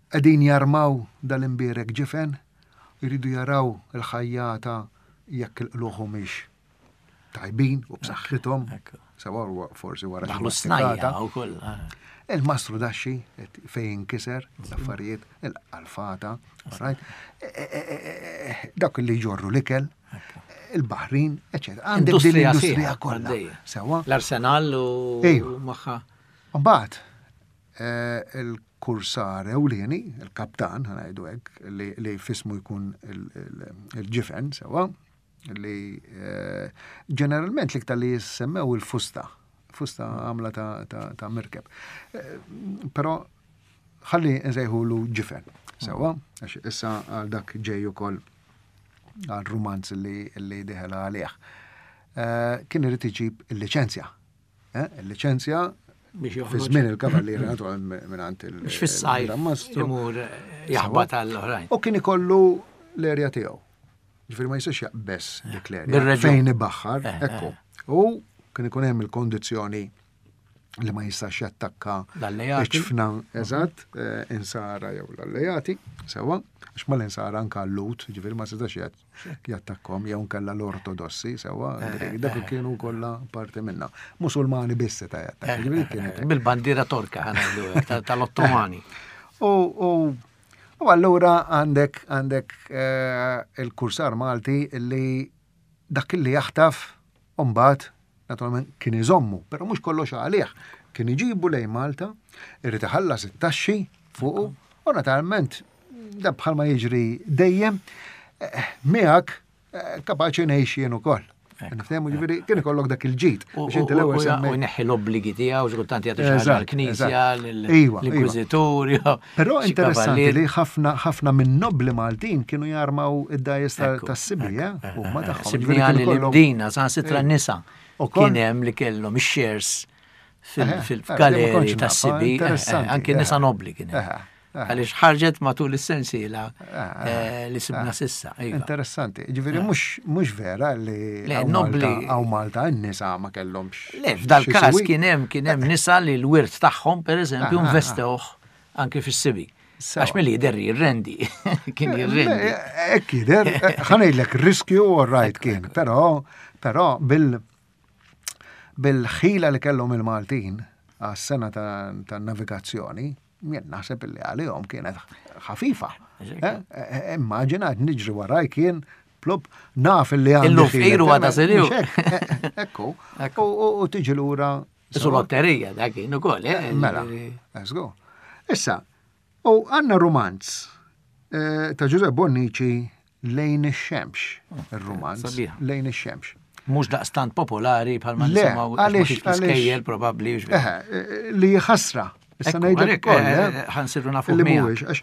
qegħdin jarmaw dal-imbierek ġifen, jridu jaraw il-ħajjata jekk il-qluħ mhix tajbin u b'saħħithom, sewa forsi wara Daħlu snajja wkoll. Il-mastru daxxi fejn inkiser l-affarijiet, il-alfata, right? Dawk li jġorru l-ikel, il-baħrin, eċetera. Għandek din l-industrija kollha. Sewa. L-arsenal u magħha. Mbagħad il-kursar ewlieni, il-kaptan, ħa ngħidu hekk, li fismu jkun il-ġifen, sewa, li ġeneralment l-iktar li jissemmew il-fusta, fusta għamla ta' mirkeb. Però ħalli nsejħulu ġifen, sewa, għax issa għal dak ġej ukoll għal rumanz li diħela għalih. Kien irid iġib il-liċenzja. Il-liċenzja fi żmien il-kavallieri naturalment mingħand il- Biex fis-sajf imur jaħbat għall-oħrajn. U kien ikollu l-erja tiegħu. Ġifieri ma jistax jaqbes dik l-erja. Fejn ibaħħar, ekku. U kien ikun hemm il-kondizzjoni li ma jistax jattakka l-ċfna, eżatt, insara jew l-allejati, sewa, għax ma l-insara anka l-lut, ġifieri ma setax jattakkom jew nkella l-ortodossi, sewa, dak kienu kollha parti minna. Musulmani biss seta' jattakka. Ġifieri kienet Bil-bandiera torka ħa ngħidu tal-Ottomani. U U allura għandek għandek il-kursar Malti li dak li jaħtaf mbagħad naturalment kien iżommu, però mhux kollox għalih. Kien iġibu lejn Malta, irid iħallas it-taxxi fuqu, u naturalment da bħalma jiġri dejjem miegħek kapaċi ngħix jien ukoll. Niftehmu ġifieri kien ikollok dak il-ġid. Biex inti l-ewwel semmejt. U jneħħi l-obbligi tiegħu, xi kultant jagħti xi ħaġa l-Knisja, l-Inkwiżitur. Però interessanti li ħafna ħafna minn nobli Maltin kienu jarmaw id-dgħajjes tas-sibi, huma tagħhom. Sibni l-Imdina, saħansitra nisa. Kien hemm li kellhom ix-shares fil-galeri tas-sibi, anke nisa nobli kien hemm. Għaliex ħarġet matul is-sensiela li sibna sissa. Interessanti. Ġifieri mhux vera li hawn Malta n-nisa ma kellhomx. Le, f'dal każ kien hemm kien hemm nisa li l-wirt tagħhom pereżempju investewh anke fis-sibi. Għax milli jidher jirrendi. Kien jirrendi. Hekk jidher, ħa ngħidlek riskju all right kien, però però bil bil-ħila li kellhom il-Maltin għas-sena ta' navigazzjoni, jien naħseb li għalihom kienet ħafifa. Immaġina qed niġri waraj kien plop naf li għandi. Illum fqiru għada seliw. Ekku. U tiġi lura. Isu lotterija dak kien ukoll. Mela, let's go. Issa, u għandna rumanz ta' Giuseppe Bonnici Lejn ix-xemx, il-rumanz Lejn ix-xemx. Mhux daqstant popolari bħalma nisimgħu għaliex fl-iskejjel probabbli. Li ħasra. Issa ngħidlek ukoll. Ħa nsiru nafu li mhuwiex għax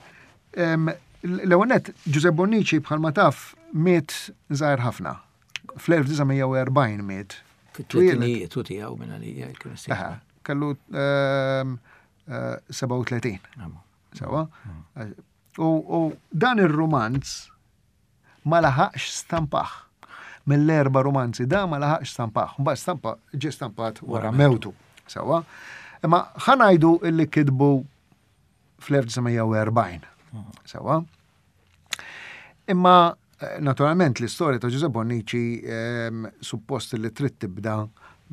l-ewwel nett Giuseppe Bonnici bħalma taf miet żgħir ħafna. Fl-elf disa' mija u erbgħin miet. Fit-tletinijiet u tiegħu minn għalija kien Kellu sebgħa u tletin. Sewa. U dan ir-rumanz ma laħaqx stampaħ. Mill-erba' rumanzi da ma laħaqx stampaħ. Mbagħad stampa ġie stampat wara mewtu. Sewa. Imma ħa ngħidu illi kitbu fl-elf disa' mija u erbgħin. Sewa. Imma naturalment l-istorja ta' Giuseppe Bonnici suppost li trid tibda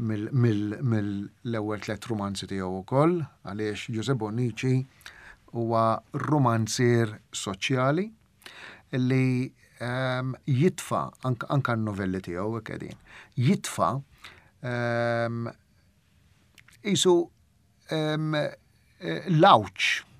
mill-ewwel tliet rumanzi tiegħu wkoll, għaliex Giuseppe Bonnici huwa romanzier soċjali li jitfa anka n-novelli tiegħu hekk qegħdin. Jitfa isu l-għawġ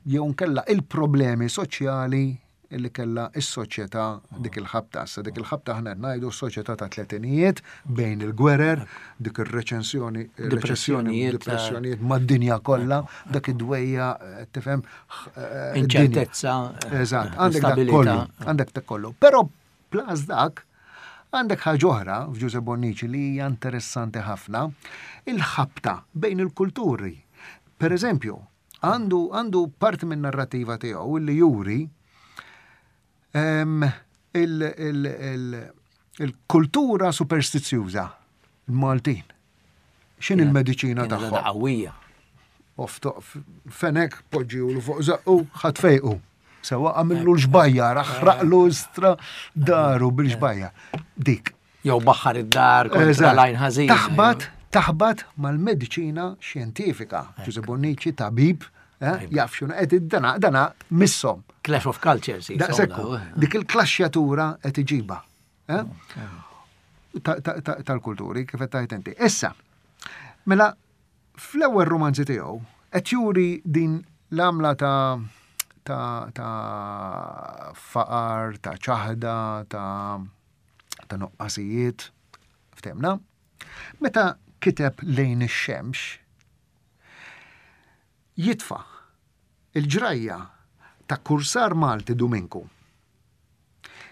jew nkella il-problemi soċjali illi kellha s-soċjetà dik il-ħabta. Issa dik il-ħabta aħna qed ngħidu s-soċjetà ta' tletinijiet bejn il-gwerer, dik ir-reċensjoni, Depressjonijiet, depressjonijiet mad-dinja kollha, dak id-dwejja, eh, tifhem, eh, Inċertezza, Eżatt, għandek dak instabilità. kollu, għandek dak kollu. Però plus dak, għandek ħaġa oħra f'Ġużè Bonnici li hija interessanti ħafna, il-ħabta bejn il-kulturi. Per eżempju, għandu, għandu parti minn narrativa tiegħu li juri em, il- il- il- il-kultura superstizjuża, il-Maltin. X'in il-mediċina Kienet tagħhom? qawwija. Oftoq fenek poġġilu fuq zaqqu ħadd fejqu. Sewa għamillu l-ġbajja, raħraqlu stra daru bil-ġbajja. Dik. Jew baħħar id-dar kontra Eżatt. l-għajn ħażina. Taħbat, taħbat mal-mediċina xjentifika. Ġużè Bonnici, tabib, eh, jaf x'inhu qed id-dana, dana missom. Clash of Cultures. jisom Daqsekku, daw, eh. dik il-klaxxjatura qed iġiba. eh? Ta- ta- ta- Tal-kulturi, kif qed tgħid inti. Issa, mela fl-ewwel romanzi tiegħu qed juri din l-għamla ta' ta' ta' faqar, ta' ċaħda, ta' ta' nuqqasijiet, ftemna. Meta kiteb Lejn ix-xemx, jitfa' il-ġrajja ta' kursar Malti Duminku.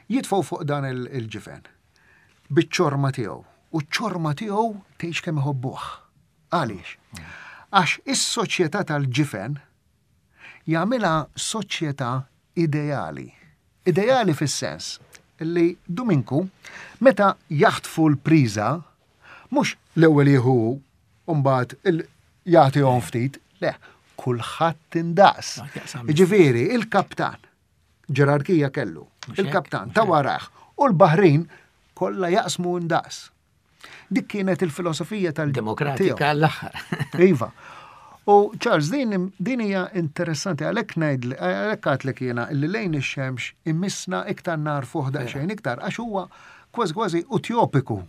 Jitfgħu fuq dan il- il-ġifen biċ-ċorma tiegħu. U ċ-ċorma tiegħu tgħix kemm iħobbuh. Għaliex? Għax is-soċjetà tal-ġifen jagħmilha soċjetà ideali. Ideali fis-sens li Duminku meta jaħtfu l-priża mhux l-ewwel jieħu u mbagħad il- jagħtihom ftit, le, kulħadd indaqs. Jaqsam. Ġifieri, il-kaptan, ġerarkija kellu, Mhux hekk, il-kaptan mhux ta' hekk. warah u l-Baħrin kollha jaqsmu indaqs. Dik kienet il-filosofija tal Demokratika għall-aħħar. Iva. U Charles, din, din hija interessanti, għalhekk ngħid għalhekk għadtlek jiena li Lejn ix-xemx immissna iktar narfuh daqsxejn iktar għax huwa kważi kważi utopiku.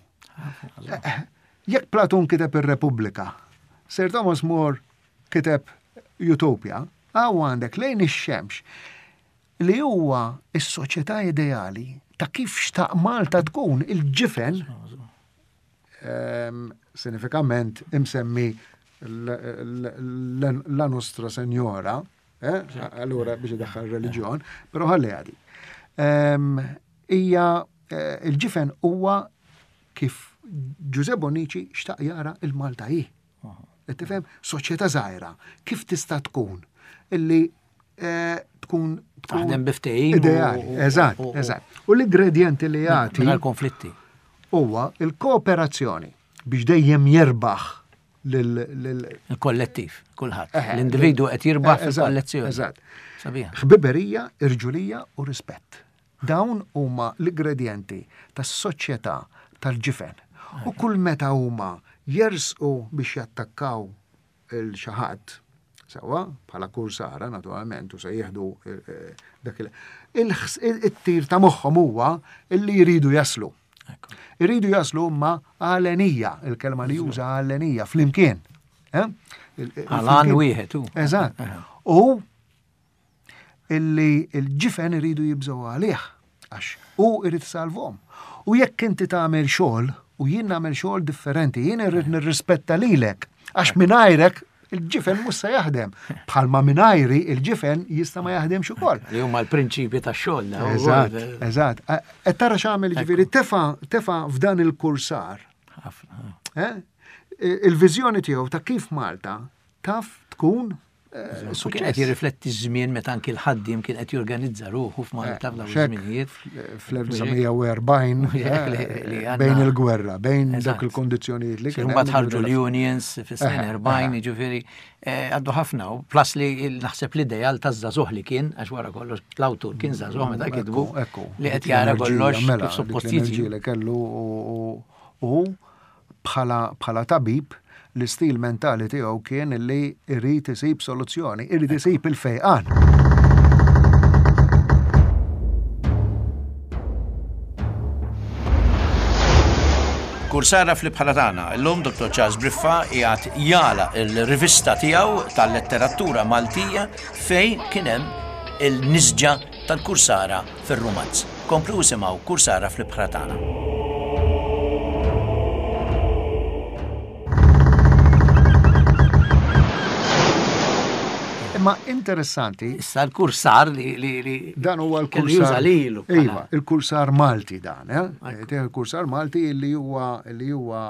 Eh, Jekk Platun kiteb ir-Repubblika, Sir Thomas More kiteb Utopia, għaw għandek Lejn ix-xemx li huwa is-soċjetà ideali ta' kif xtaq Malta tkun il-ġifen ehm, sinifikament imsemmi l- l- l- la Nostra Senjora, eh? allura biex idaħħal reliġjon, però ħalli għadi. Ehm, Hija eh, il-ġifen huwa kif Ġużè Bonnici xtaq jara il-Malta hi. Qed tifhem? Soċjetà żgħira, kif tista' tkun illi eh, tkun tkun Taħdem bi ftehim u- Ideali, u- eżatt, u- u- eżatt. U l-ingredjenti li jagħti Mingħajr konflitti. huwa il-kooperazzjoni biex dejjem jerbaħ lil lil Il-kollettiv, kulħadd. Eh, L-individu qed jirbaħ eh, eżatt, fil-kollezzjoni. Eżatt. Sabiħa. Ħbiberija, irġulija u rispett. Dawn huma l-ingredjenti tas-soċjetà tal-ġifen. U kull meta huma jersqu biex jattakkaw il xi ħadd, sewwa, bħala kursara naturalment, u se jieħdu eh, eh, dak il- il-ħs- it-tir ta' moħħhom huwa illi jridu jaslu. Ekku. Irridu jaslu imma għalenija, il-kelma li juża għalenija, flimkien. Eh? Il- il- Għalan flimkien. wieħed, u. Eżatt. U illi il-ġifen iridu jibżgħu għalih, għax u irid salvom. U jekk inti tagħmel xogħol u jien nagħmel xogħol differenti, jien irrid nirrispetta lilek, għax mingħajrek il-ġifen mhux se jaħdem. Bħalma mingħajri il-ġifen jista' ma jaħdemx ukoll. Li huma l-prinċipji tax-xogħol. daw Eżatt, ukoll. eżatt. Qed tara x'għamel ġifieri tefa' tefa' f'dan il-kursar Ħafna. eh, il-viżjoni tiegħu ta' kif Malta taf tkun eh, U kien qed jirrifletti ż-żmien meta anki l-ħaddiem kien qed jorganizza ruħu f'Malta f'dawn Xek, iż-żminijiet. fl-elf disa' mija u erbgħin Hekk li- li għandna- bejn il-gwerra, bejn Eżatt. dak il-kondizzjonijiet li kien Mbagħad hemm, ħarġu l-unions fis-snin Eħe, erbgħin, eħe. jiġifieri eh, għaddu ħafna u plus li il- naħseb l-ideal taż-żagħżugħ li kien għax wara kollox l-awtur kien żagħżugħ meta kitbu Ekku, ekku. li qed Dik jara l-enerġija, kollox mela, kif suppost dik l-enerġija jiġi. li kellu u- u u bħala bħala tabib l-istil mentali tiegħu kien li irid isib soluzzjoni, irid isib il-fejqan. Kursara fl-ibħra tagħna. Illum Dottor Charles Briffa qiegħed jala il-rivista tiegħu tal-letteratura Maltija fejn kien hemm il-nisġa tal-kursara fir-rumanz. Komplu isimgħu Kursara fl-Ibħra Tagħna. Imma interessanti. Issa l-kursar li li li dan huwa kellu l-kursar. juża lilu bħala- Iva, il-kursar Malti dan, eh? Il-kursar Malti li huwa li huwa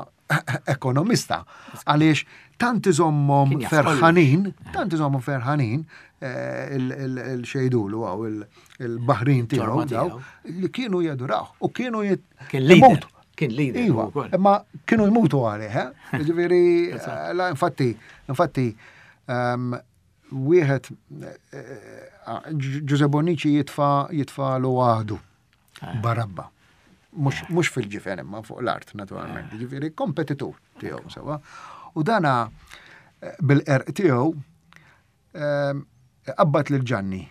ekonomista. Għaliex tant iżommhom Kien jaf ferħanin, tant iżommhom ferħanin eh, il- il- il-xejdulu għaw il-Baħrin tiegħu Ġorma daw, tiegħu. li kienu jaduraw u kienu jit- Kien leader. imutu. Kien leader Iva, hu wkoll. imma kienu jmutu għalih, eh? Ġifieri, eh, la, infatti, infatti, ehm, wieħed eh, Giuseppe Bonnici jitfa jitfa lu għadu Barabba. Mhux mhux fil-ġifen imma fuq l-art naturalment. Ġifieri kompetitur tiegħu sewa. U dana eh, bil-qerq tiegħu ehm, qabbat lil Ġanni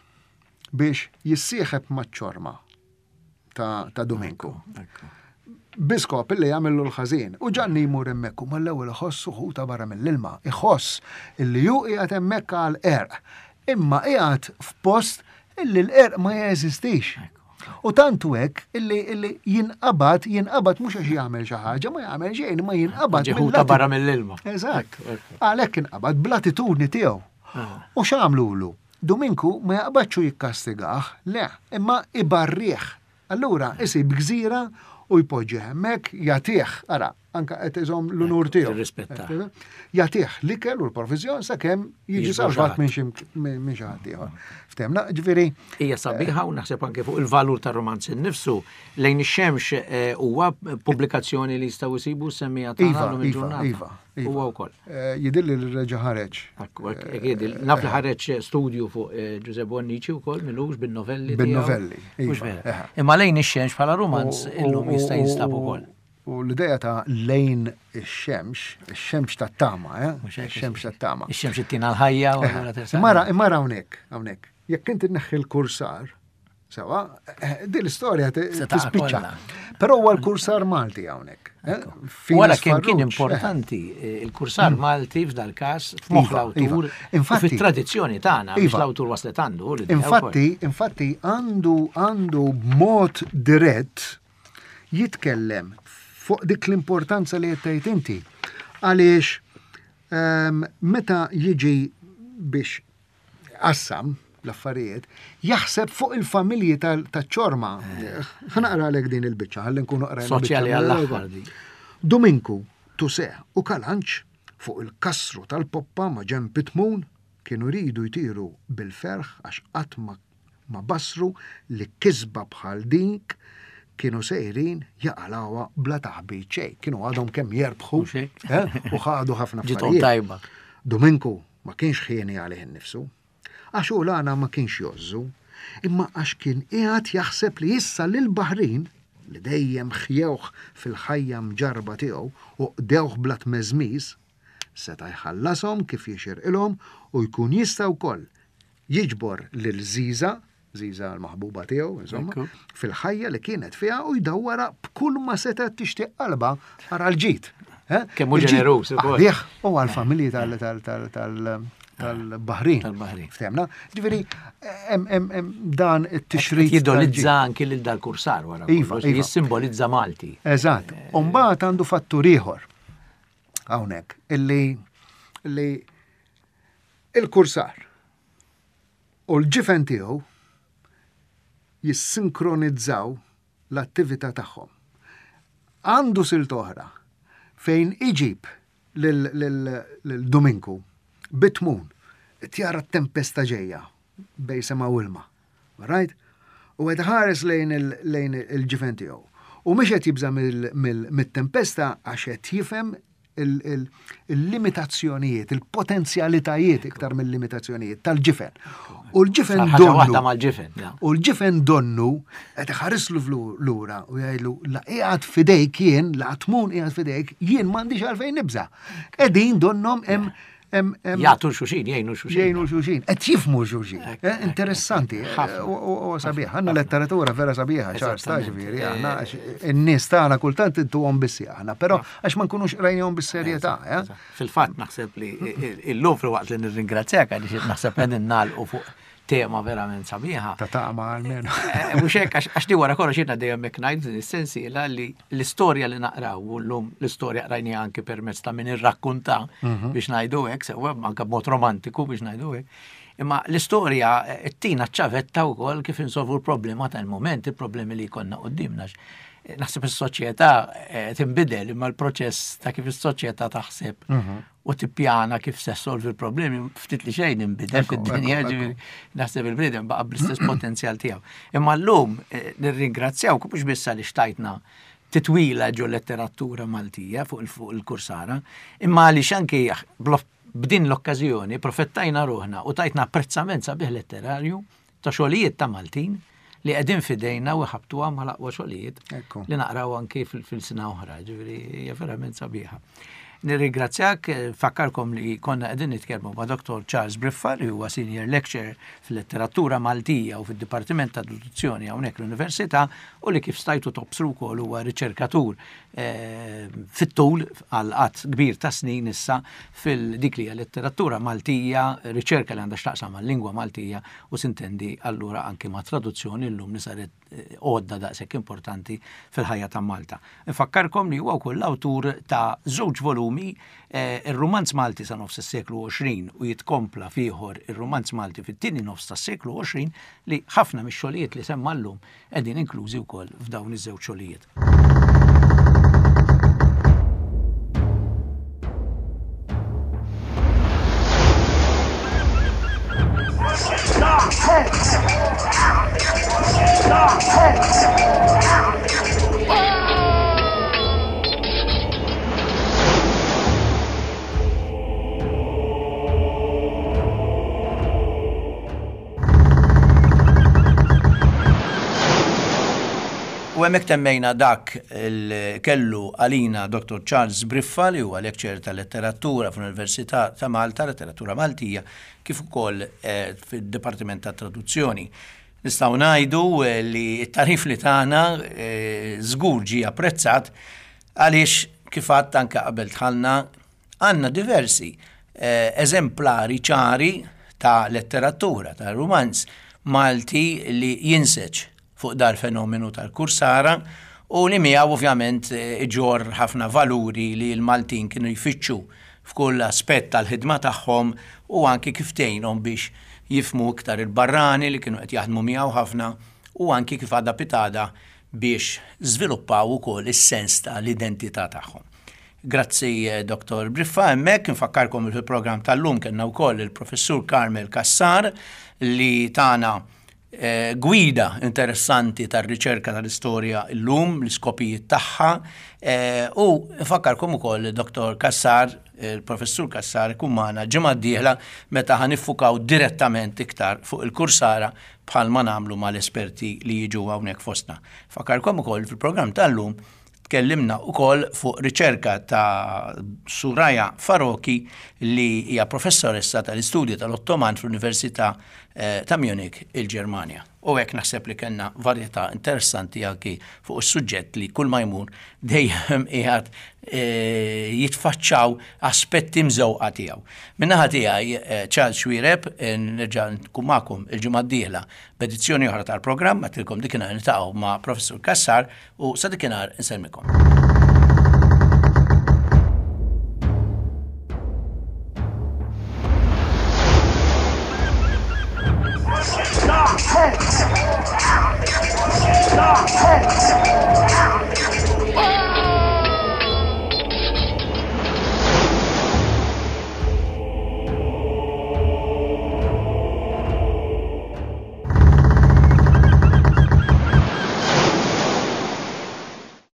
biex jissieħeb maċ-ċorma ta', ta' Dominku. Biskop illi jagħmillu l-ħażin. U Ġanni jmur hemmhekk u mal-ewwel iħossu ħuta barra mill-ilma. Iħoss illi hu qiegħed hemmhekk għal qerq. Imma qiegħed f'post illi l-qerq ma jeżistix. U tantu hekk illi illi jinqabad, jinqabad mhux għax jagħmel xi ħaġa, ma jagħmel xejn, ma jinqabad Ġi ħuta mill-atti- barra mill-ilma. Eżatt. Ekku, ekku. Għalhekk inqabad bl-attitudni tiegħu. U x'għamlulu? Dominku ma jaqbadx u jikkastigah, le, imma ibarrih. Allura isib gżira u jpoġġi hemmhekk jagħtih, ara, anka qed iżomm l-unur tiegħu. Jirrispetta. Jagħtih l-ikel u l-provizjon sakemm jiġi Jiġbru salvat xi minn xi minn xi ħadd ieħor. Ftemna, ġifieri Hija sabiħa u naħseb anke fuq il-valur tar-romanz innifsu lejn ix-xemx eh, huwa pubblikazzjoni li jistgħu jsibu semmija tagħna Iva, llum Iva, il-ġurnata. Iva, Iva. Huwa wkoll. Eh, Jidhirli li reġa' ħareġ. Ekku, hekk- hekk jidil. Naf li ħareġ studju fuq eh, Giuseppe Bonnici wkoll milux bin-novelli. tiegħu. Bin-novelli, Mhux iva, vera. eħe. Imma lejn ix-xemx bħala romanz U- illum u- jista' u- jinstab ukoll. U l-ideja ta' lejn ix-xemx, ix-xemx tat-tama, eh? Mhux hekk, Ix-xemx tat-tama. Ix-xemx ittina l-ħajja u allura tersaq. Imma imma hawnhekk, hawnhekk. Jekk inti tneħħi l-kursar, sewa, eh, din l-istorja ti- Se taqa' tispiċċa. kollha. Però huwa l-kursar Malti hawnhekk. eh? Finas Wara kemm kien Farrugia, eh. importanti eh, il-kursar Malti f'dal każ f'moħħ Iva, l-awtur iva. Infatti- u fit-tradizzjoni tagħna biex Iva. l-awtur waslet għandu l-idea Infatti, infatti għandu għandu b'mod dirett jitkellem fuq dik l-importanza li qed tgħid inti. Għaliex ehm, meta jiġi biex qassam l-affarijiet, jaħseb fuq il-familji tal-ċorma. Ħanaqra għalek din il-biċċa, ħalli nkunu qrajna. Soċjali biċċa għall-aħħar di. Dominku, Tuse u Kalanċ fuq il-kasru tal-poppa ma' ġenb Pitmun kienu ridu jtiru bil-ferħ għax qatt ma, ma basru li kisba bħal dink kienu sejrin jaqalawha bla taħbit xejn. Kienu għadhom kemm jerbħu Mhux hekk? eh, u ħadu ħafna Ġiethom affarijiet. tajba. Dominku ma kienx ħieni għalih innifsu, għax u l-għana ma kienx jozzu, imma għax kien qiegħed jaħseb li issa lil Baħrin li dejjem ħjewh fil-ħajja mġarba tiegħu u qdewh bla tmeżmiż, seta' jħallashom kif jixirqilhom u jkun jista' wkoll jiġbor lil Ziza, Ziza l-maħbuba tiegħu, insomma, Ekku. fil-ħajja li kienet fiha u jdawwara b'kull ma setgħet tixtieq qalba ara l-ġid. Eh? Kemm hu Il-ġid ġeneruż ukoll. għalih u għal-familji tal- tal- tal- tal- tal-Baħrin. Tal-Baħrin. Ftemna? Ġifieri, hemm- hemm hemm dan it-tixrid. Jidolizza anki lil dal-kursar wara Iva, kollox, iva. jissimbolizza Malti. Eżatt. U mbagħad għandu fattur ieħor hawnhekk illi illi il-kursar u l-ġifen tiegħu jissinkronizzaw l-attività tagħhom. Għandu silt oħra fejn iġib lil- lil lil Dominku bitmun tjara t-tempesta ġejja bej sema u ilma. Right? U qed ħares lejn il- lejn il-ġifen tiegħu. U mhux qed jibża' mill- mill- mit-tempesta għax qed jifhem il- il- il-limitazzjonijiet, il-potenzjalitajiet iktar mill-limitazzjonijiet tal-ġifen. U l-ġifen Sar ħaġa waħda donnu. mal-ġifen. ja. U l-ġifen donnu qed iħarislu flu- lura u jgħidlu la qiegħed fidejk jien, la tmun qiegħed fidejk, jien m'għandix għalfejn nibża. Qegħdin donnom hemm hemm hemm Jagħtu xuxin, jgħinu xuxin. jgħinu xuxin, qed jifmu xuxin. Ekk, Eh, Interessanti, eh, Ħafna. u u- u sabiħ. Għandna letteratura vera sabiħa, ċar sta Eżattament. ġifieri, Eh, aħna għax in-nies tagħna kultant intuhom bissi aħna, però għax ma nkunux qrajnihom bis-serjetà, eh? Fil-fatt naħseb li illum fil-waqt li nirringrazzjak għaliex naħseb qegħdin nagħlqu fuq tema verament sabiħa. Ta' taqma għalmenu. Eh, mhux hekk, għax di wara kollox jiena dejjem hekk ngħid din is-sensiela li l-istorja li naqraw u llum l-istorja qrajni anke permezz ta' min irrakkunta mhm. biex ngħidu hekk, sewwa anke b'mod romantiku biex ngħidu hekk. Imma l-istorja eh, tina ċavetta wkoll kif insolvu l-problema tal-moment, il-problemi li jkollna qudiemna. Eh, naħseb is-soċjetà tinbidel imma l-proċess ta' kif is-soċjetà taħseb mhm. u tippjana kif se solvi l-problemi ftit li xejn inbidel fid-dinja, ġifieri naħseb il-bniedem baqa' bl-istess potenzjal tiegħu. Imma llum eh, nirringrazzjaw mhux biss għaliex tajtna titwila ġo letteratura Maltija fuq il-kursara, imma għaliex anki b'din l-okkażjoni profettajna ruħna u tajtna apprezzament sabiħ letterarju ta' xogħlijiet ta' Maltin li qegħdin fidejna u ħabtuha mal-aqwa xogħlijiet li naqraw anki fil-sena oħra, ġifieri hija verament sabiħa. Nirringrazzjak, fakkarkom li konna qegħdin nitkellmu ma' Dottor Charles Briffa li huwa Senior Lecturer fil-Letteratura Maltija u fid-Dipartiment ta' Traduzzjoni hawnhekk l-Università u li kif stajtu tobsru wkoll huwa riċerkatur eh, fit-tul għal qatt kbir ta' snin issa fil-dik li hija letteratura Maltija, riċerka li għandha x'taqsam mal-lingwa Maltija u sintendi allura anki ma' traduzzjoni llum li saret eh, għodda daqshekk importanti fil-ħajja ta' Malta. Infakkarkom li huwa wkoll l-awtur ta' żewġ volumi, eh, ir-Rumanz Malti sa nofs is-seklu għoxrin u jitkompla fieħor ir-Rumanz Malti fit-tieni nofs tas-seklu għoxrin li ħafna mix-xogħlijiet li semma llum qegħdin inklużi wkoll f'dawn iż-żewġ xogħlijiet. U hemmhekk temmejna dak il kellu għalina Dottor Charles Briffa li huwa lecturer ta' letteratura fl-Università ta' Malta, letteratura Maltija, kif ukoll eh, fid-Dipartiment ta' Traduzzjoni. Nistgħu ngħidu eh, li t-tarif li tagħna eh, żgur ġie apprezzat għaliex kif għadt anke qabel dħalna għandna diversi eżemplari ċari ta' letteratura, ta' rumanz Malti li jinseġ fuq dal-fenomenu tal-kursara u li miegħu ovvjament iġorr ħafna valuri li l-Maltin kienu jfittxu f'kull aspett tal-ħidma tagħhom u anki kif tgħinhom biex jifhmu iktar il-barrani li kienu qed jaħdmu miegħu ħafna u anki kif għada pitgħada biex żviluppaw ukoll is-sens ta' l-identità tagħhom. Grazzi Dottor Briffa hemmhekk, infakkarkom li fil-programm tal-lum kellna wkoll il-Professur Carmel Cassar li tana gwida interessanti tar-riċerka tal-istorja llum, l-iskopijiet tagħha, u nfakkarkom ukoll li Dottor Cassar, il-Professur Cassar ikun magħna ġimgħa d-dieħla meta ħa niffukaw direttament iktar fuq il-kursara bħalma nagħmlu mal-esperti li jiġu hawnhekk fostna. Nfakkarkom ukoll fil-programm tal-lum tkellimna ukoll fuq riċerka ta' Suraya Faroqhi li hija professoressa tal-istudji tal-Ottoman fl-Università ta' Munich, il-Ġermanja. U hekk naħseb li kellna varjetà interessanti anki fuq is-suġġett li kull ma jmur dejjem qiegħed jitfaċċaw aspetti mżewqa tiegħu. Min-naħa tiegħi Charles Xuereb, nerġa' nkun magħkom il-ġimgħa d-dieħla b'edizzjoni oħra tal-programm, għedtilkom dikinhar niltaqgħu ma' Professur Cassar u sa dikinhar insellmikom. Stop!